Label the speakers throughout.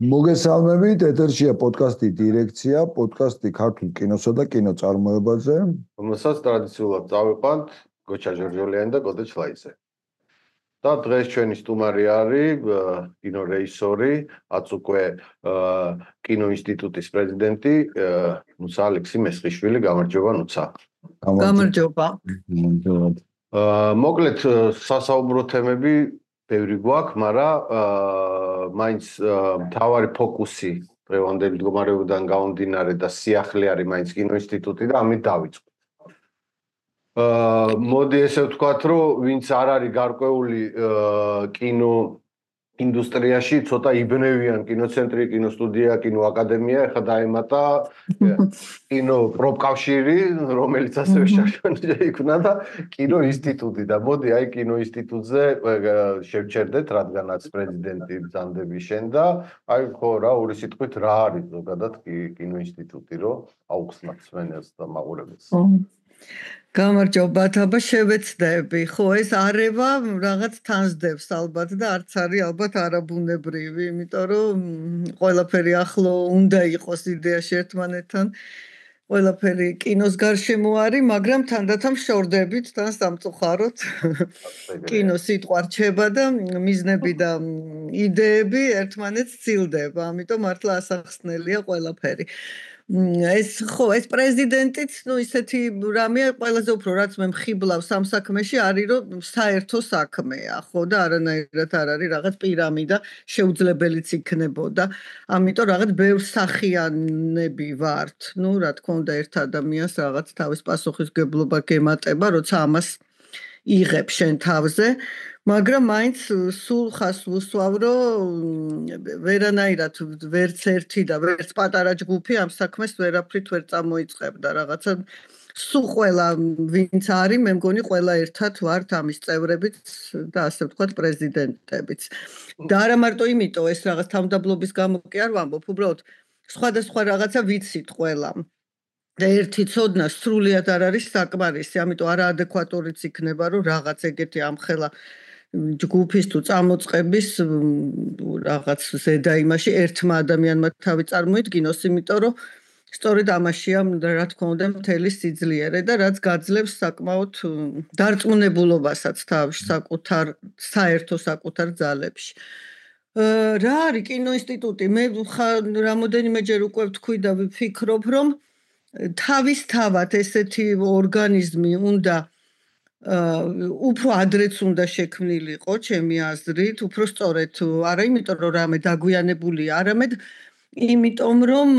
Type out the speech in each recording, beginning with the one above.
Speaker 1: მოგესალმებით, ეთერშია პოდკასტი დირექცია, პოდკასტი ქართულ კინოსა და კინოწარმოებაზე.
Speaker 2: რომელსაც ტრადიციულად წავიყვანთ გოჩა ჟორჟოლიანი და კოტე ჩლაიძე. და დღეს ჩვენი სტუმარი არის კინორეჟისორი, რაც უკვე კინოინსტიტუტის პრეზიდენტი ნუცა ალექსი მესხიშვილი. გამარჯობა ნუცა.
Speaker 3: გამარჯობა.
Speaker 2: მოკლედ სასაუბრო თემები ბევრი გვაქვს, მაგრამ მაინც მთავარი ფოკუსი დღევანდელი მდგომარეობიდან გამომდინარე და სიახლე არის მაინც კინოინსტიტუტი და ამით დავიწყოთ. მოდი ესე ვთქვათ, რომ ვინც არ არის გარკვეული კინო ინდუსტრიაში, ცოტა იბნევიან კინოცენტრი, კინოსტუდია, კინოაკადემია, ეხლა დაემატა კინო პროფკავშირი, რომელიც ასევე შაშანზე იქნა და კინოინსტიტუტი და მოდი აი კინოინსტიტუტზე შევჩერდეთ, რადგანაც პრეზიდენტი ბრძანდები შენ და აი ხო რა ორი სიტყვით რა არის ზოგადად კინოინსტიტუტი, რომ აუხსნათ მსმენელს და მაყურებელს.
Speaker 3: გამარჯობა, თაბა შევეცდები. ხო, ეს არევა რაღაც თანსდებს ალბათ და არც არის ალბათ არაბუნებრივი, იმიტომ რომ ყველაფერი ახლო უნდა იყოს იდეაში ერთმანეთთან. ყველაფერი კინოს გარშემო არის, მაგრამ თანდათან შორდებით თან სამწუხაროდ. კინო სიტყვა რჩება და მიზნები და იდეები ერთმანეთს ცილდება, ამიტომ მართლა ასახსნელია ყველაფერი. ეს პრეზიდენტიც, ისეთი რამეა, ყველაზე უფრო რაც მე მხიბლავს ამ საქმეში არის, რომ საერთო საქმეა, ხო და არანაირად არ არის რაღაც პირამიდა შეუძლებელიც იქნებოდა. ამიტომ რაღაც ბევრ სახიანები ვართ. რა თქმა უნდა, ერთ ადამიანს რაღაც თავის პასუხისმგებლობა გემატება, როცა ამას იღებ შენ თავზე. მაგრამ მაინც სულ ხას ვუსვავ, რომ ვერანაირად ვერც ერთი და ვერც პატარა ჯგუფი ამ საქმეს ვერაფრით ვერ წამოიწყებდა. რაღაცა სულ ყველა ვინც არის, მე მგონი ყველა ერთად ვართ ამის წევრებიც და ასე ვთქვათ პრეზიდენტებიც. და არა მარტო იმიტომ ეს რაღაც თავმდაბლობის გამო კი არ ვამბობ, უბრალოდ სხვადასხვა რაღაცა ვიცით ყველა. და ერთი ცოდნა სრულიად არ არის საკმარისი, ამიტომ არაადეკვატურიც იქნება, რომ რაღაც ეგეთი ამხელა ჯგუფის თუ წამოწყების რაღაც ზედა იმაში ერთმა ადამიანმა თავი წარმოიდგინოს, იმიტომ რომ სწორედ ამაშია რა თქმა უნდა მთელი სიძლიერე და რაც გაძლევს საკმაოდ დარწმუნებულობასაც თავში საერთო საკუთარ ძალებში. რა არის კინოინსტიტუტი? მე რამოდენიმეჯერ უკვე ვთქვი და ვფიქრობ, რომ თავისთავად ესეთი ორგანიზმი უნდა უფრო ადრეც უნდა შექმნილიყო, ჩემი აზრით, უფრო სწორედ არა იმიტომ რომ რამე დაგვიანებულია, არამედ იმიტომ რომ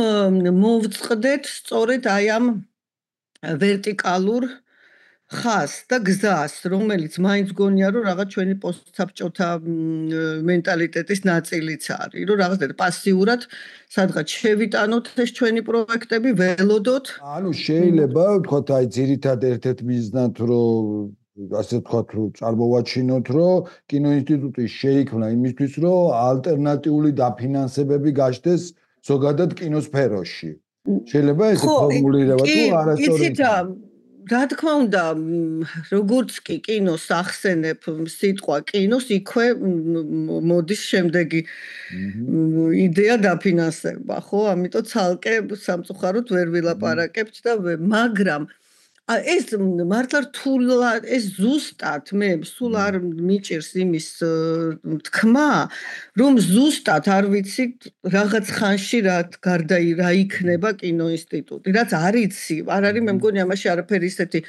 Speaker 3: მოვწყდეთ სწორედ აი ამ ვერტიკალურ ხაზს და გზას, რომელიც მაინც გონია რომ რაღაც ჩვენი პოსტსაბჭოთა მენტალიტეტის ნაწილიც არის, რომ რაღაცა პასიურად სადღაც შევიტანოთ ეს ჩვენი პროექტები, ველოდოთ.
Speaker 1: ანუ შეიძლება ვთქვათ აი ძირითადად ერთ-ერთ მიზნად რომ ასე ვთქვათ რომ წარმოვაჩინოთ რომ კინოინსტიტუტი შეიქმნა იმისთვის რომ ალტერნატიული დაფინანსებები გაჩნდეს ზოგადად კინოსფეროში. შეიძლება ესე ფორმულირება თუ არასწორად?
Speaker 3: რა თქმა უნდა, როგორც კი კინოს ახსენებ სიტყვა კინოს, იქვე მოდის შემდეგი იდეა დაფინანსება, ხო? ამიტომ ცალკე სამწუხაროდ ვერ ვილაპარაკებთ და მაგრამ ეს მართლა რთულად, ეს ზუსტად მე სულ არ მიჭირს იმის თქმა, რომ ზუსტად არ ვიცი რაღაც ხანში რა იქნება კინოინსტიტუტი, რაც არ იცი, არ არის მე მგონი ამაში არაფერი ისეთი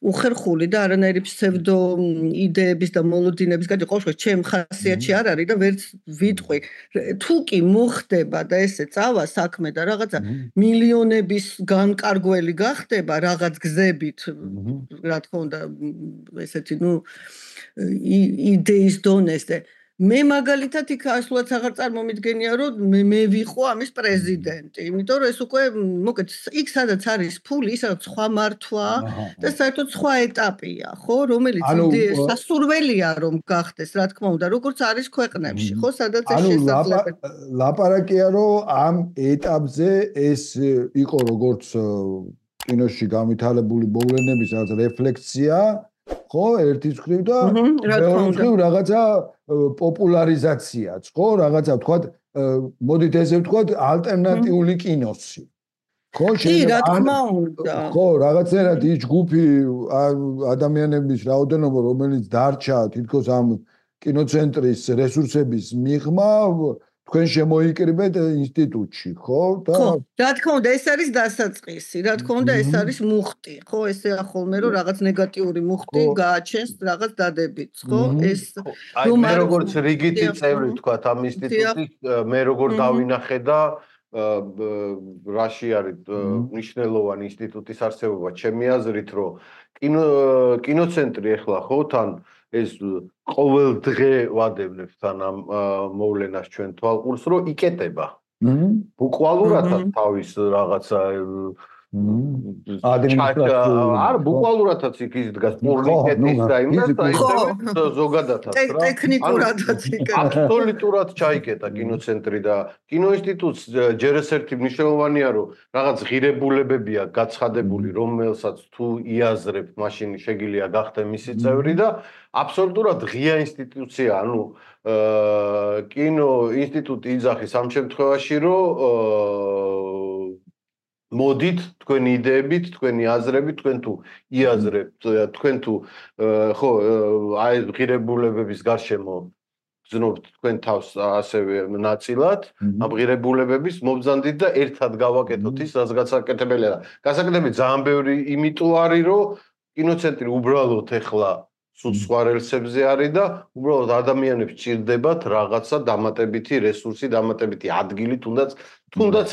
Speaker 3: უხერხული და არანაირი ფსევდო იდეების და მოლოდინების გადი ყოველ შემთხვევაში ჩემ ხასიათში არ არის და ვერც ვიტყვი თუ კი მოხდება და ესე წავა საქმე და რაღაცა მილიონების განკარგველი გახდება რაღაც გზებით რა თქმა უნდა ესეთი იდეის დონეზე მე მაგალითად იქ ასულად აღარ წარმომიდგენია რომ მე ვიყო ამის პრეზიდენტი იმიტომ რომ ეს უკვე მოკეთ იქ სადაც არის ფული ისაც სხვა მართვა და საერთოდ სხვა ეტაპია ხო რომელიც სასურველია რომ გახდეს რა თქმა უნდა როგორც არის ქვეყნებში ხო სადაც ეს შესაძლებელი
Speaker 1: ლაპარაკია რომ ამ ეტაპზე ეს იყო როგორც კინოში განვითარებული მოვლენების რაღაც რეფლექსია ხო ერთის მხრივ და მეორე მხრივ რაღაცა პოპულარიზაციაც ხო რაღაცა ვთქვათ მოდით ესე ვთქვათ, ალტერნატიული კინოსი. ხო,
Speaker 3: კი, რა თქმა უნდა.
Speaker 1: ხო, რაღაცნაირად ის ჯგუფი ადამიანების რაოდენობა, რომელიც დარჩა თითქოს ამ კინოცენტრის რესურსების მიღმა, თქვენ შემოიკრიბეთ ინსტიტუტში, ხო?
Speaker 3: და ხო, რა თქმა უნდა, ეს არის დასაწყისი, რა თქმა უნდა, ეს არის მუხტი, ხო, ესეა ხოლმე, რომ რაღაც ნეგატიური მუხტი გააჩენს რაღაც დადებითს, ხო? ეს
Speaker 2: რომ მე როგორც რიგითი წევრი ვთქვათ ამ ინსტიტუტის, მე როგორ დავინახე და რაში არის მნიშვნელოვანი ინსტიტუტის არსებობა, ჩემი აზრით, რომ კინოცენტრი ახლა ხო თან ეს ყოველ დღე ვადევნებთ თან ამ მოვლენას ჩვენ თვალყურს, რომ იკეტება. ბუკვალურადაც თავის რაღაცა არ ბუკვალურადაც იქ დგას პურნიკეტის და იმას და ისე ზოგადადაც რა
Speaker 3: ტექნიკურადაც იკეტა.
Speaker 2: აბსოლუტურად ჩაიკეტა კინოცენტრი და კინოინსტიტუტს ჯერ ეს ერთი მნიშვნელოვანია რომ რაღაც ღირებულებებია გაცხადებული რომელსაც თუ იაზრებთ მაშინ შეგიძლია გახდე მისი წევრი და აბსოლუტურად ღია ინსტიტუცია ანუ კინო ინსტიტუტი იძახის ამ შემთხვევაში რომ მოდით თქვენი იდეებით, თქვენი აზრებით, თქვენ თუ იაზრებთ, თქვენ თუ ხო აი ღირებულებების გარშემო გზნობთ თქვენ თავს ასევე ნაწილად, ამ ღირებულებების მობრძანდით და ერთად გავაკეთოთ ის, რაც გასაკეთებელია. გასაკეთებელი ძალიან ბევრი იმიტომ არის, რომ კინოცენტრი უბრალოდ ეხლა სულ სხვა რელსებზე არის და უბრალოდ ადამიანებს ჭირდებათ რაღაცა დამატებითი რესურსი, დამატებითი ადგილი, თუნდაც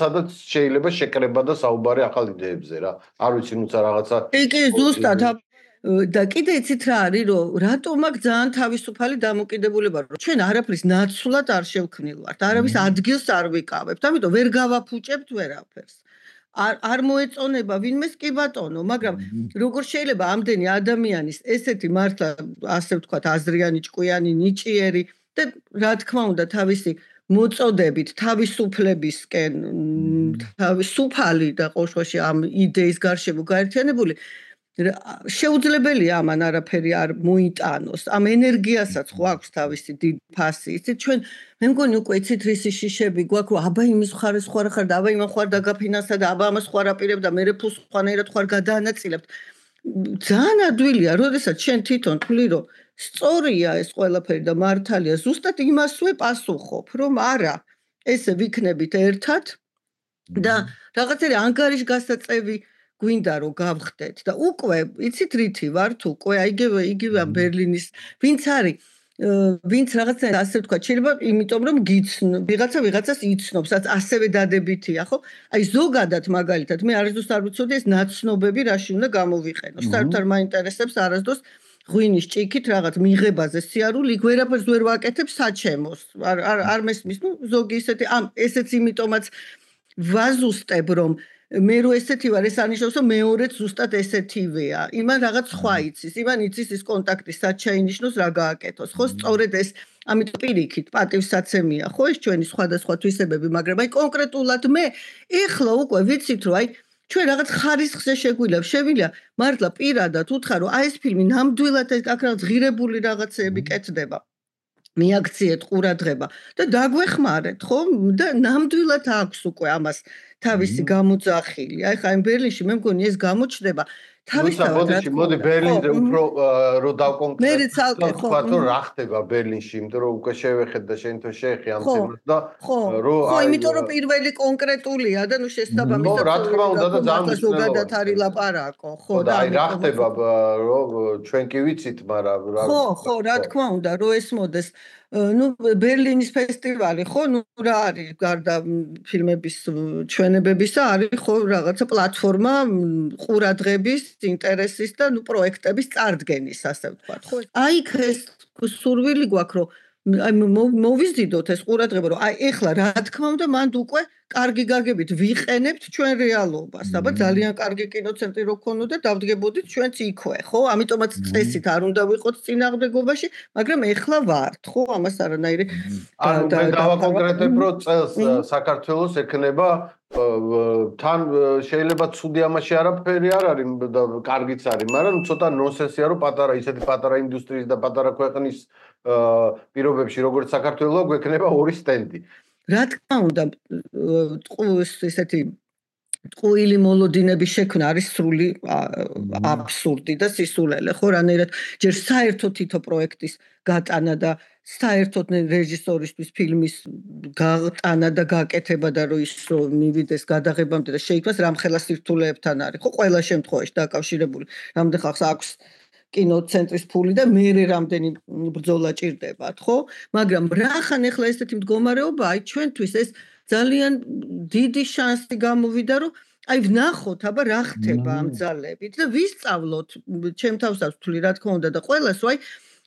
Speaker 2: სადაც შეიძლება შეკრება და საუბარი ახალ იდეებზე რა. არ ვიცი, ნუცა რაღაცა.
Speaker 3: კი, ზუსტად და კიდე იცით რა არის, რომ რატომ აქ ძალიან თავისუფალი დამოკიდებულება, რომ ჩვენ არაფრის ნაცვლად არ შევქმნილვართ, არავის ადგილს არ ვიკავებთ, ამიტომ ვერ გავაფუჭებთ ვერაფერს. არ მოეწონება ვინმეს კი ბატონო, მაგრამ როგორ შეიძლება ამდენი ადამიანის ესეთი მართლა ასე ვთქვათ აზრიანი, ჭკვიანი, ნიჭიერი და რა თქმა უნდა თავისი მოწოდებით, თავისუფლებისკენ, თავისუფალი და ყოველშვაში ამ იდეის გარშემო გაერთიანებული შეუძლებელია ამან არაფერი არ მოიტანოს. ამ ენერგიასაც ხო აქვს თავისი დიდი ფასი. იცით ჩვენ მე მგონი უკვე იცით რისი შიშები გვაქვს, რომ აბა იმის მხარეს ხარ ხარ და აბა იმან ხარ დაგაფინანსა და აბა ამას ხარ აპირებ და მე ფულს ხვანაირად ხარ გადაანაწილებთ. ძალიან ადვილია, როდესაც შენ თვითონ თვლი რომ სწორია ეს ყველაფერი და მართალია, ზუსტად იმასვე პასუხობ, რომ არა, ესე ვიქნებით ერთად და რაღაცები ანგარიშ გასაწევი გვინდა რომ გავხდეთ და უკვე იცით რითი ვართ უკვე იგივე ბერლინის ვინც არის ვინც რაღაცა ასე ვთქვა შეიძლება იმიტომ რომ ვიღაცას იცნობს ასევე დადებითია ხო აი ზოგადად მაგალითად მე არასდროს არ ვიცოდი ეს ნაცნობები რაში უნდა გამოვიყენოს საერთოდ არ მაინტერესებს არასდროს ღვინის ჭიქით რაღაც მიღებაზე სიარული ვერაფერს ვერ ვაკეთებ საჩემოს არ მესმის ნუ ზოგი ისეთი ესეც იმიტომაც ვაზუსტებ რომ მე რო ესეთი ვარ ეს არნიშნავს რომ მეორეც ზუსტად ესეთივეა იმან რაღაც სხვა იცის იმან იცის ის კონტაქტი სად შეინიშნოს რა გააკეთოს ხო სწორედ ეს ამით პირიქით პატივსაცემია ხო ეს ჩვენი სხვადასხვა თვისებები მაგრამ აი კონკრეტულად მე ეხლა უკვე ვიცით რომ აი ჩვენ რაღაც ხარისხზე შეგვიძლია მართლა პირადად უთხრა რომ აი ეს ფილმი ნამდვილად აქ რაღაც ღირებული რაღაცეები კეთდება მიაქციეთ ყურადღება და დაგვეხმარეთ ხო და ნამდვილად აქვს უკვე ამას თავისი გამოძახილი აი ხა იმ ბერლინში მე მგონი ეს გამოჩნდება
Speaker 2: თავისთავად მოდი ბერლინზე უფრო რო დავკონკრეტო თქვა რომ რა ხდება ბერლინში იმიტომ რომ უკვე შევეხეთ და შენ თო შეეხე ამ თემას და
Speaker 3: რო ხო იმიტომ რომ პირველი კონკრეტულია და ნუ შესაბამისად
Speaker 2: რა თქმა უნდა და ძალიან
Speaker 3: ზოგადად არის ლაპარაკო ხო
Speaker 2: და აი რა ხდება რომ ჩვენ კი ვიცით მაგრამ
Speaker 3: ხო რა თქმა უნდა რომ ეს მოდეს ну ბერლინის ფესტივალი ხო ну რა არის გარდა ფილმების ჩვენებებისა არის ხო რაღაცა პლატფორმა ყურადღების ინტერესის და ну პროექტების წარდგენის ასე ვთქვათ ხო აი ეს სურვილი გვაქვს რომ აი მოვიზიდოთ ეს ყურადღება რომ აი ეხლა რა თქმა უნდა მანდ უკვე კარგი გაგებით ვიყენებთ ჩვენ რეალობას აბა ძალიან კარგი კინოცენტრი რო ქონოდა დავდგებოდით ჩვენც იქვე ხო ამიტომაც წესით არ უნდა ვიყოთ წინააღმდეგობაში მაგრამ ეხლა ვართ ხო ამას არანაირი
Speaker 2: ანუ მე დავაკონკრეტებ რომ წელს საქართველოს ექნება თან შეიძლება ცუდი ამაში არაფერი არ არის და კარგიც არის მაგრამ ცოტა ნონსენსია რომ პატარა ისეთი პატარა ინდუსტრიის და პატარა ქვეყნის პირობებში როგორც საქართველოს გვექნება ორი სტენდი
Speaker 3: რა თქმა უნდა ესეთი ტყუილი მოლოდინების შექმნა არის სრული აბსურდი და სისულელე, ხო, რანაირად ჯერ საერთოდ თითო პროექტის გატანა და საერთოდ რეჟისორისთვის ფილმის გატანა და გაკეთება და რომ ის მივიდეს გადაღებამდე და შეიქმნას რამხელა სირთულეებთან არის, ხო, ყველა შემთხვევაში დაკავშირებული. რამდენ ხალხს აქვს კინოცენტრის ფული და მერე რამდენი ბრძოლა ჭირდებათ, ხო? მაგრამ რახან ახლა ესეთი მდგომარეობაა, ჩვენთვის ეს ძალიან დიდი შანსი გამოვიდა, რომ აი ვნახოთ, აბა რა ხდება ამ ძალებით და ვისწავლოთ, ჩემ თავს აქვს თვლი, რა თქმა უნდა და ყველას, აი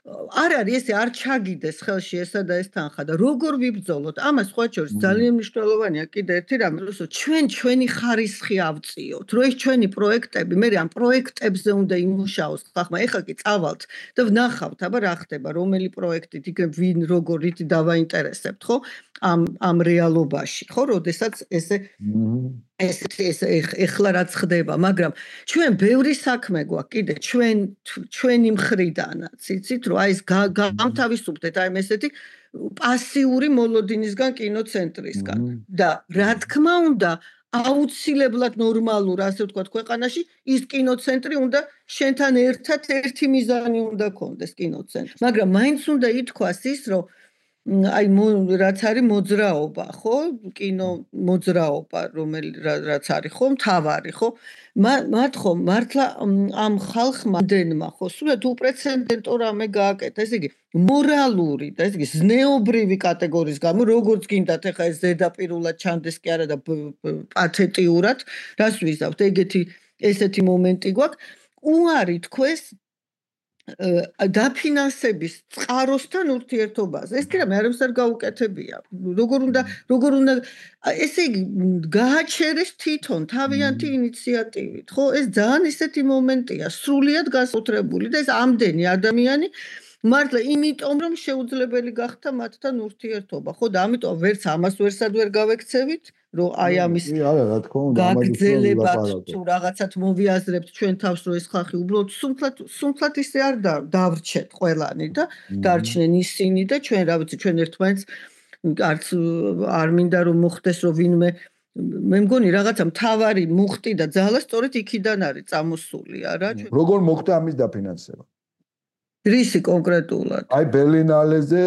Speaker 3: არ არის ესე არ ჩაგიდეს ხელში ესა და ეს თანხა და როგორ ვიბრძოლოთ? ამას სხვა შორის ძალიან მნიშვნელოვანია კიდე ერთი რამე, რომ ჩვენი ხარისხი ავწიოთ, რომ ეს ჩვენი პროექტები, მე ამ პროექტებზე უნდა იმუშაოს ხახმა, ეხლა კი წავალთ და ვნახავთ, აბა რა ხდება, რომელი პროექტით, იქ ვინ როგორ რითი დავაინტერესებთ, ხო? ამ რეალობაში, ხო, როდესაც ესე ეხლა რაც ხდება, მაგრამ ჩვენ ბევრი საქმე გვაქვს კიდე ჩვენი მხრიდანაც, იცით, რომ აი ეს გამთავისუფლდეთ აი ესეთი პასიური მოლოდინისგან კინოცენტრისგან და რა თქმა უნდა აუცილებლად ნორმალურ, ასე ვთქვათ, ქვეყანაში ის კინოცენტრი უნდა შენთან ერთად ერთი მიზანი უნდა ქონდეს კინოცენტრი, მაგრამ მაინც უნდა ითქვას ის, რომ აი რაც არის მოძრაობა, ხო? კინო მოძრაობა, რაც არის, ხო, მთავარი, ხო? მათ ხო მართლა ამ ხალხმა დენმა, ხო, სულად უპრეცედენტო რამე გააკეთა, ესე იგი, მორალური და ესე იგი, ზნეობრივი კატეგორიის გამო, როგორც გინდათ, ეხა ეს ზედაპირულად ჩანდეს კი არა და პათეტიურად, რას ვიზავთ, ესეთი მომენტი გვაქვს, უარი თქვეს დაფინანსების წყაროსთან ურთიერთობაზე. ეს კი რამე არამს არ გაუკეთებია. როგორ უნდა ესე იგი გააჩერეს თვითონ თავიანთი ინიციატივით, ხო? ეს ძალიან ისეთი მომენტია, სრულიად განსაკუთრებული და ეს ამდენი ადამიანი მართლა იმიტომ რომ შეუძლებელი გახდა მათთან ურთიერთობა, ხო და ამიტომ ვერც ამას ვერსად ვერ გავექცევით, რომ აი ამის
Speaker 1: არა, რა თქმა უნდა,
Speaker 3: გაგრძელებათ თუ რაღაცად მოვიაზრებთ ჩვენ თავს, რომ ეს ხალხი უბრალოდ სუმფლად ისე არ დავრჩეთ ყველანი და დარჩნენ ისინი და ჩვენ რა ვიცი, ჩვენ ერთმანეთს არც არ მინდა რომ მოხდეს, რომ ვინმე მე მგონი რაღაცა მთავარი მუხტი და ძალა სწორედ იქიდან არის წამოსული, არა?
Speaker 1: როგორ მოხდა ამის დაფინანსება?
Speaker 3: რისი კონკრეტულად?
Speaker 1: აი ბერლინალეზე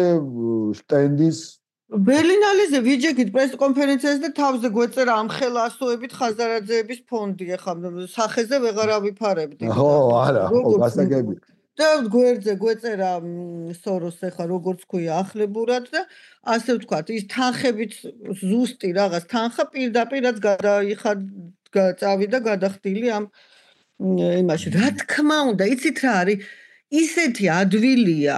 Speaker 1: სტენდის
Speaker 3: ბერლინალეზე ვიჯექით პრესკონფერენციაზე და თავზე გვეწერა ამხელა ასოებით ხაზარაძეების ფონდი, ახლა სახეზე ვეღარ ავიფარებდი.
Speaker 1: ხო, არა, ხო, გასაგები.
Speaker 3: და გვერდზე გვეწერა სოროს ახლა როგორც ქვია ახლებურად და ასე ვთქვათ, ის თანხებით ზუსტი რაღაც თანხა პირდაპირაც წავიდა გადახდილი ამ იმაში. რა თქმა უნდა, იცით რა არის? ისეთი ადვილია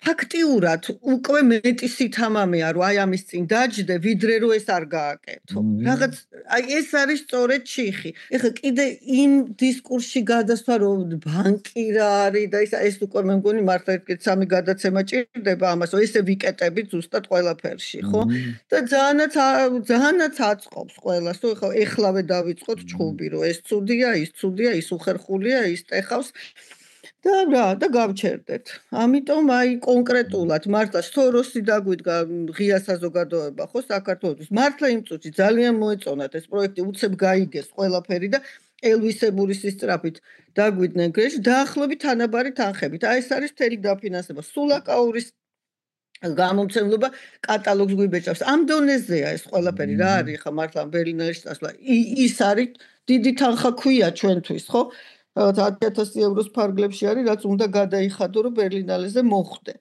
Speaker 3: ფაქტიურად უკვე მეტი სითამამეა რომ აი ამის წინ დაჯდე ვიდრე რომ ეს არ გააკეთო. რაღაც აი ეს არის სწორედ ჩიხი. ეხლა კიდე იმ დისკურსში გადასვა რომ ბანკი რა არის და ეს უკვე მე მგონი მართლა ერთ სამი გადაცემა ჭირდება ამას, რომ ესე ვიკეტებით ზუსტად ყველაფერში, ხო? და ძალიანაც აწყობს ყველას, რომ ეხლავე დავიწყოთ ჩხუბი, რომ ეს ცუდია, ის უხერხულია, ის ტეხავს. და გავჩერდეთ. ამიტომ აი კონკრეტულად მართლა სოროსი დაგვიდგა ღია საზოგადოება, ხო, საქართველოს. მართლა იმ წუთში ძალიან მოეწონათ ეს პროექტი, უცებ გაიგეს ყველაფერი და ელვისებური სისწრაფით დაგვიდნენ გრეში, დაახლოებით თანაბარი თანხებით. აი ეს არის მთელი დაფინანსება. სულაკაურის გამომცემლობა კატალოგს გვიბეჭავს. ამ დონეზეა ეს ყველაფერი, რა არის ხა მართლა ბერლინალეში წასვლა. ის არის დიდი თანხა ქვია ჩვენთვის, ხო? 10,000 ევროს ფარგლებში არის, რაც უნდა გადაიხადო, რომ ბერლინალეზე მოხვდე.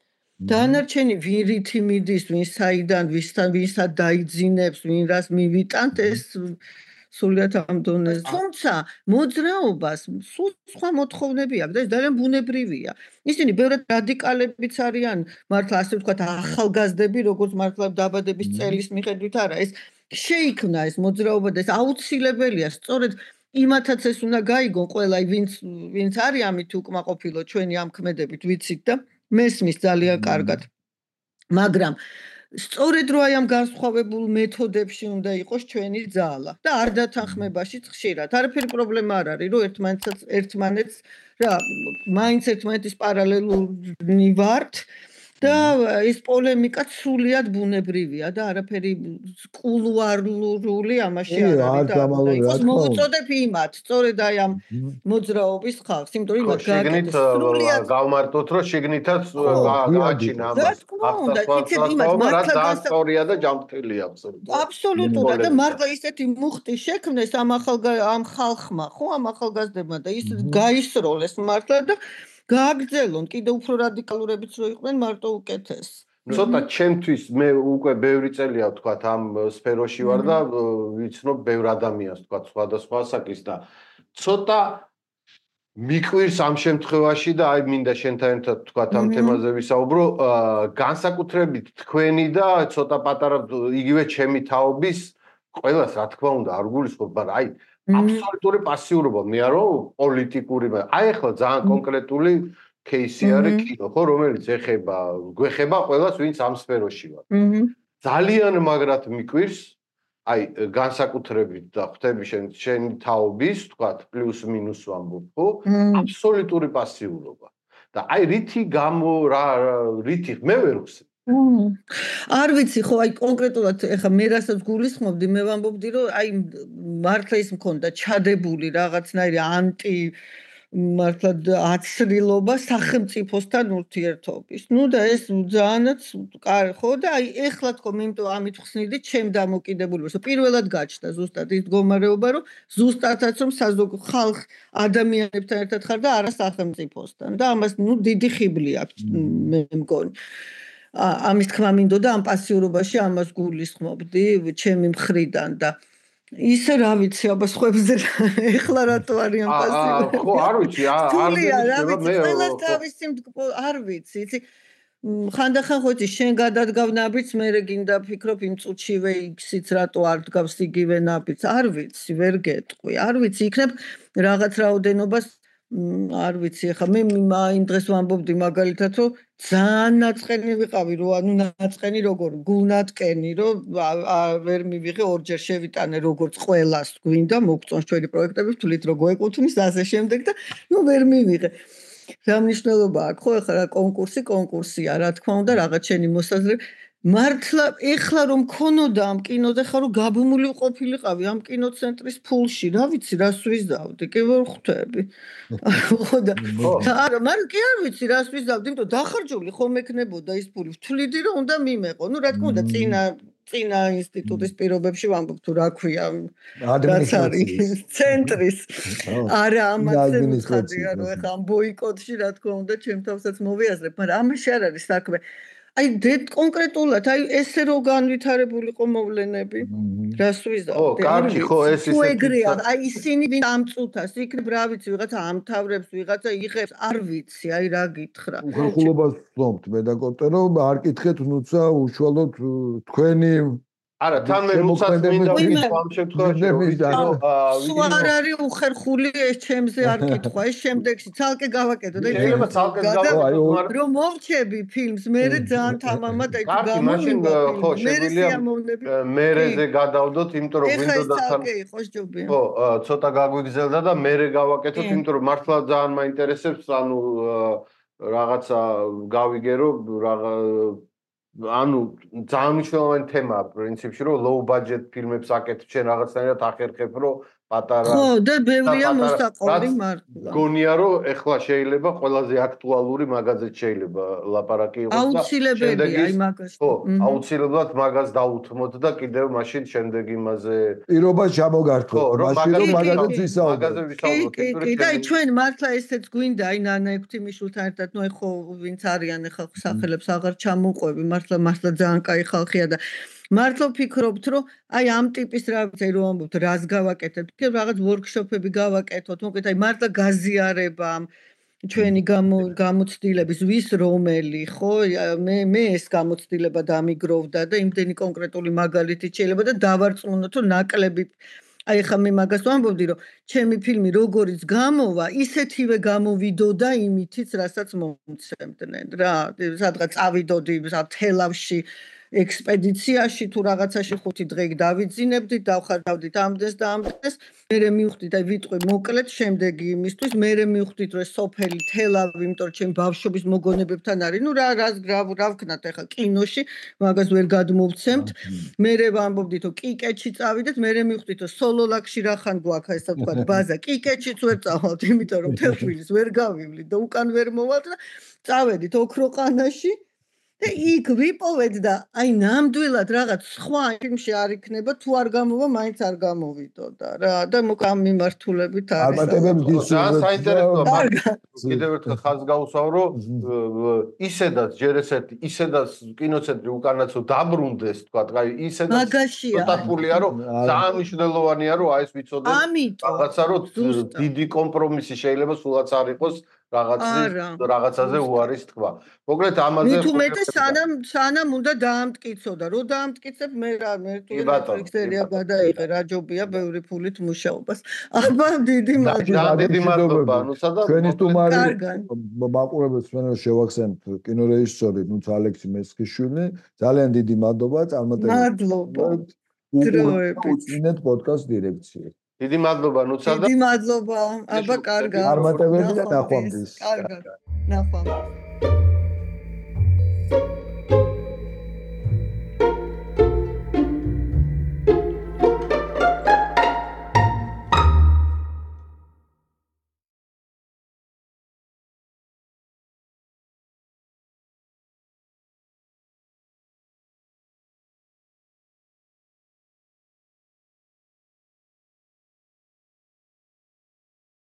Speaker 3: დანარჩენი ვირითი მიდის, ვინ საიდან, ვინსა დაიძინებს, ვინ რას მივიტანთ, ეს სულიად ამ დონეზე. თუმცა მოძრაობას სულ სხვა მოთხოვნები აქვს და ეს ძალიან ბუნებრივია. ისინი ბევრად რადიკალებიც არიან, მართლა ასე ვთქვათ, ახალგაზრდები, როგორც მართლა დაბადების წელის მიხედვით არა, ეს შეიქმნა ეს მოძრაობა და ეს აუცილებელია, სწორედ იმათაც ეს უნდა გაიგონ ყველა, ვინც არის ამით უკმაყოფილო ჩვენი ამ ქმედებით ვიცით და მესმის ძალიან კარგად. მაგრამ სწორედ რო აი ამ განსხვავებულ მეთოდებში უნდა იყოს ჩვენი ძალა და არ დათანხმებაშიც ხშირად. არაფერი პრობლემა არ არის, რომ ერთმანეთს რა, მაინც ერთმანეთის პარალელურნი ვართ და ის პოლემიკა სულიად ბუნებრივია და არაფერი კულუარული ამაში არ არის და უნდა იყოს მოვუწოდებ იმათ სწორედ აი ამ მოძრაობის ხალხს იმიტომ რომ იმათ
Speaker 2: შიგნით გავმარტოთ რომ შიგნითაც გააჩინა ამას სწორია და ჯანმრთელია
Speaker 3: აბსოლუტურად და მართლა ისეთი მუხტი შექმნეს ამ ხალხმა ხო ამ ახალგაზრდებმა და ის გაისროლეს მართლა და გააგრძელონ კიდე უფრო რადიკალურებიც რო იყვნენ მარტო უკეთეს
Speaker 2: ცოტა ჩემთვის მე უკვე ბევრი წელია ვთქვათ ამ სფეროში ვარ და ვიცნობ ბევრ ადამიანს ვთქვათ სხვადასხვა ასაკის და ცოტა მიყვირს ამ შემთხვევაში და აი მინდა შენთან ერთად ვთქვათ ამ თემაზე ვისაუბრო განსაკუთრებით თქვენი და ცოტა პატარა იგივე ჩემი თაობის ყველას რა თქმა უნდა არ გულისხმობ მაგრამ აი აბსოლუტური პასიურობა მე არ ვარ პოლიტიკური აი ახლა ძალიან კონკრეტული кейსი არის კინო ხო რომელიც გვეხება ყველას ვინც ამ სფეროში ვარ ძალიან მაგრად მიყვირს აი განსაკუთრებით და ხვდები შენი თაობის ვთქვათ პლუს მინუს ვამბობ ხო აბსოლუტური პასიურობა და აი რითი მე ვერ ვხსენ
Speaker 3: არ ვიცი ხო აი კონკრეტულად ეხა მე რასაც გულისხმობდი მე ვამბობდი რომ აი მართლა ის მქონდა ჩადებული რაღაცნაირი ანტი მართლა აცრილობა სახელმწიფოსთან ურთიერთობის. ნუ და ეს ძალიანაც ხო და აი ეხლა თქო მე იმიტომ ამით ხსნიდი ჩემ დამოკიდებულებას. პირველად გაჩნდა ზუსტად ის მდგომარეობა რომ ზუსტადაც რომ ხალხ ადამიანებთან ერთად ხარ და არა სახელმწიფოსთან და ამას ნუ დიდი ხიბლი აქვს მე მგონი. ამის თქმა მინდოდა ამ პასიურობაში ამას გულისხმობდი ჩემი მხრიდან და ისე რა ვიცი აბა სხვებზე ეხლა რატო არიან პასიური
Speaker 2: ხო არ ვიცი
Speaker 3: ყველას თავისი არ ვიცი იცი ხანდახან ხო იცი შენ გადადგავ ნაბიჯს მე გინდა ფიქრობ იმ წუთშივე იქსიც რატო არ დგავს იგივე ნაბიჯს არ ვიცი ვერ გეტყვი არ ვიცი იქნებ რაღაც რაოდენობას არ ვიცი ეხა მე იმ დღეს ვამბობდი მაგალითად რომ ძალიან ნაწყენი ვიყავი რომ ანუ ნაწყენი როგორ გულნატკენი რომ ვერ მივიღე ორჯერ შევიტანე როგორც ყველას გვინდა მოგწონს ჩვენი პროექტები თulit რო გვეკუთვნის ასე შემდეგ და ნუ ვერ მივიღე რა მნიშვნელობა აქვს ხო ეხლა რა კონკურსია რა თქმა უნდა რაღაც შენი მოსაზრება მართლა ეხლა რომ მქონოდა ამ კინოზე ხარ რომ გაბმული ყოფილიყავი ამ კინოცენტრის ფულში რა ვიცი რას ვიზავდი კი ვერ ხვდები ხო და არა მაგრამ კი არ ვიცი რას ვიზავდი იმიტომ დახარჯული ხომ ექნებოდა ის ფული ვთვლიდი რომ უნდა მიმეყო ნუ რა თქმა უნდა წინა ინსტიტუტის პირობებში ვამბობ თუ რა ქვია რაც არის ცენტრის არა ამაზე მიხადია რომ ეხლა ამ ბოიკოტში რა თქმა უნდა ჩემ თავსაც მოვიაზრებ მაგრამ ამაში არ არის საქმე აი კონკრეტულად აი ესე რო განვითარებულიყო მოვლენები რას ვიზავდი
Speaker 2: ო კარგი ხო ეს
Speaker 3: ისეთი აი ისინი ვინ ამ წუთას იქნებ რა ვიცი ვიღაცა ამთავრებს ვიღაცა იღებს არ ვიცი აი რა გითხრა
Speaker 1: უხალხულობას ვწნობთ მე და კოპტერო არ კითხეთ ნუცა უშუალოდ თქვენი
Speaker 2: არა თან მე რუსად მინდა ამ შემთხვევაში
Speaker 3: სულ არ არის უხერხული ეს ჩემზე არ კითხვა ეს შემდეგში ცალკე გავაკეთო და
Speaker 2: შეიძლება ცალკე გავაკეთო
Speaker 3: რომ მოვჩები ფილმს მე ძალიან თამამად აი თუ
Speaker 2: გამოვიდა ხო შეგვიძლია მერეზე გადავდოთ იმიტომ რომ გვინდოდა
Speaker 3: ცალკე იყოს ჯობია
Speaker 2: ხო ცოტა გაგვიგზელდა და მერე გავაკეთოთ იმიტომ რომ მართლა ძალიან მაინტერესებს ანუ რაღაცა გავიგე რომ ანუ ძალიან მნიშვნელოვანი თემაა პრინციპში რომ low budget ფილმებს აკეთებ შენ რაღაცნაირად ახერხებ რომ პატარა
Speaker 3: ხო და ბევრია მოსაყოლი მართლა
Speaker 2: გონია რომ ეხლა შეიძლება ყველაზე აქტუალური მაგაზეც შეიძლება ლაპარაკი იყოს და
Speaker 3: აუცილებელია აი მაგას
Speaker 2: ხო აუცილებლად მაგას დაუთმოთ და კიდევ მაშინ შემდეგ იმაზე
Speaker 1: პირობა ჩამოგართოთ მაშინ რომ მაგაზეც ვისაუბროთ
Speaker 3: კი და ჩვენ მართლა ესეც გვინდა აი ნანა ექვთიმიშვილთან ერთად ნუ ხო ვინც არიან ეხლა სახელებს აღარ ჩამოყვები მართლა ძალიან კაი ხალხია და მართლა ვფიქრობთ რომ აი ამ ტიპის რა ვიცი რომ ამბობთ რას გავაკეთებთ კი რაღაც ვორქშოპები გავაკეთოთ მოკლედ აი მართლა გაზიარება ჩვენი გამოცდილების ვის რომელი ხო მე ეს გამოცდილება დამიგროვდა და იმდენი კონკრეტული მაგალითი შეიძლება და დავარწმუნოთ რომ ნაკლები აი ხა მე მაგას ვამბობდი რომ ჩემი ფილმი როგორიც გამოვა ისეთივე გამოვიდოდა იმითიც რასაც მომცემდნენ რა სადღაც წავიდოდი თელავში ექსპედიციაში თუ რაღაცაში 5 დღე დავიძინებდით, დავხარდავდით ამდენს და ამდენს, მერე მივხვდით აი ვიტყვი მოკლედ შემდეგი იმისთვის, მერე მივხვდით რომ სოფელი თელავი, იმიტომ რომ ჩემ ბავშვობის მოგონებებთან არის, ნუ რა ვქნათ ახლა კინოში, მაგას ვერ გადმოვცემთ. მერე ვამბობდით რომ კიკეთში წავიდეთ, მერე მივხვდით რომ სოლოლაკში რახან გვაქვს ესე ვთქვათ ბაზა, კიკეთშიც ვერ წავალთ, იმიტომ რომ თელშვილის ვერ გავივლით და უკან ვერ მოვალთ და წავედით ოქროყანაში და იქ ვიპოვეთ და აი ნამდვილად რაღაც სხვა ფილმში არ იქნება თუ არ გამოვა, მაინც არ გამოვიდოდა რა და მოკ ამ მიმართულებით არის.
Speaker 1: წარმატებების
Speaker 2: ძალიან საინტერესოა. კიდევ ერთხელ ხაზს გავუსვამ, რომ ისედაც ჯერ ესეთი, ისედაც კინოცენტრი უკანაცო დაბრუნდეს, თქვა, აი ისედაც ცოტათულია, რომ ძალიან მნიშვნელოვანია, რომ აი ეს ვიცოდეთ რაღაცა, რომ დიდი კომპრომისი შეიძლება სულაც არ იყოს რაღაცაზე უარის თქვა. მოკლედ ამაზე
Speaker 3: თუ მეტი სანამ უნდა დაამტკიცოდა, რომ დაამტკიცებ მე თუ ექსერია გადაიღე, რა ჯობია ბევრი ფულით მუშაობას. აბა დიდი
Speaker 2: მადლობა, ნუცა და
Speaker 1: ჩვენი სტუმარი მაყურებელს ვენო შევახსენებთ კინორეჟისორი ნუცა ალექსი მესხიშვილი. ძალიან დიდი მადლობა წარმატებისთვის.
Speaker 3: მადლობა.
Speaker 1: უწინეთ პოდკასტ დირექციას.
Speaker 2: დიდი მადლობა ნუცა და
Speaker 3: დიდი მადლობა. აბა კარგად.
Speaker 1: წარმატებები და ნახვამდის.
Speaker 3: კარგად. ნახვამდის.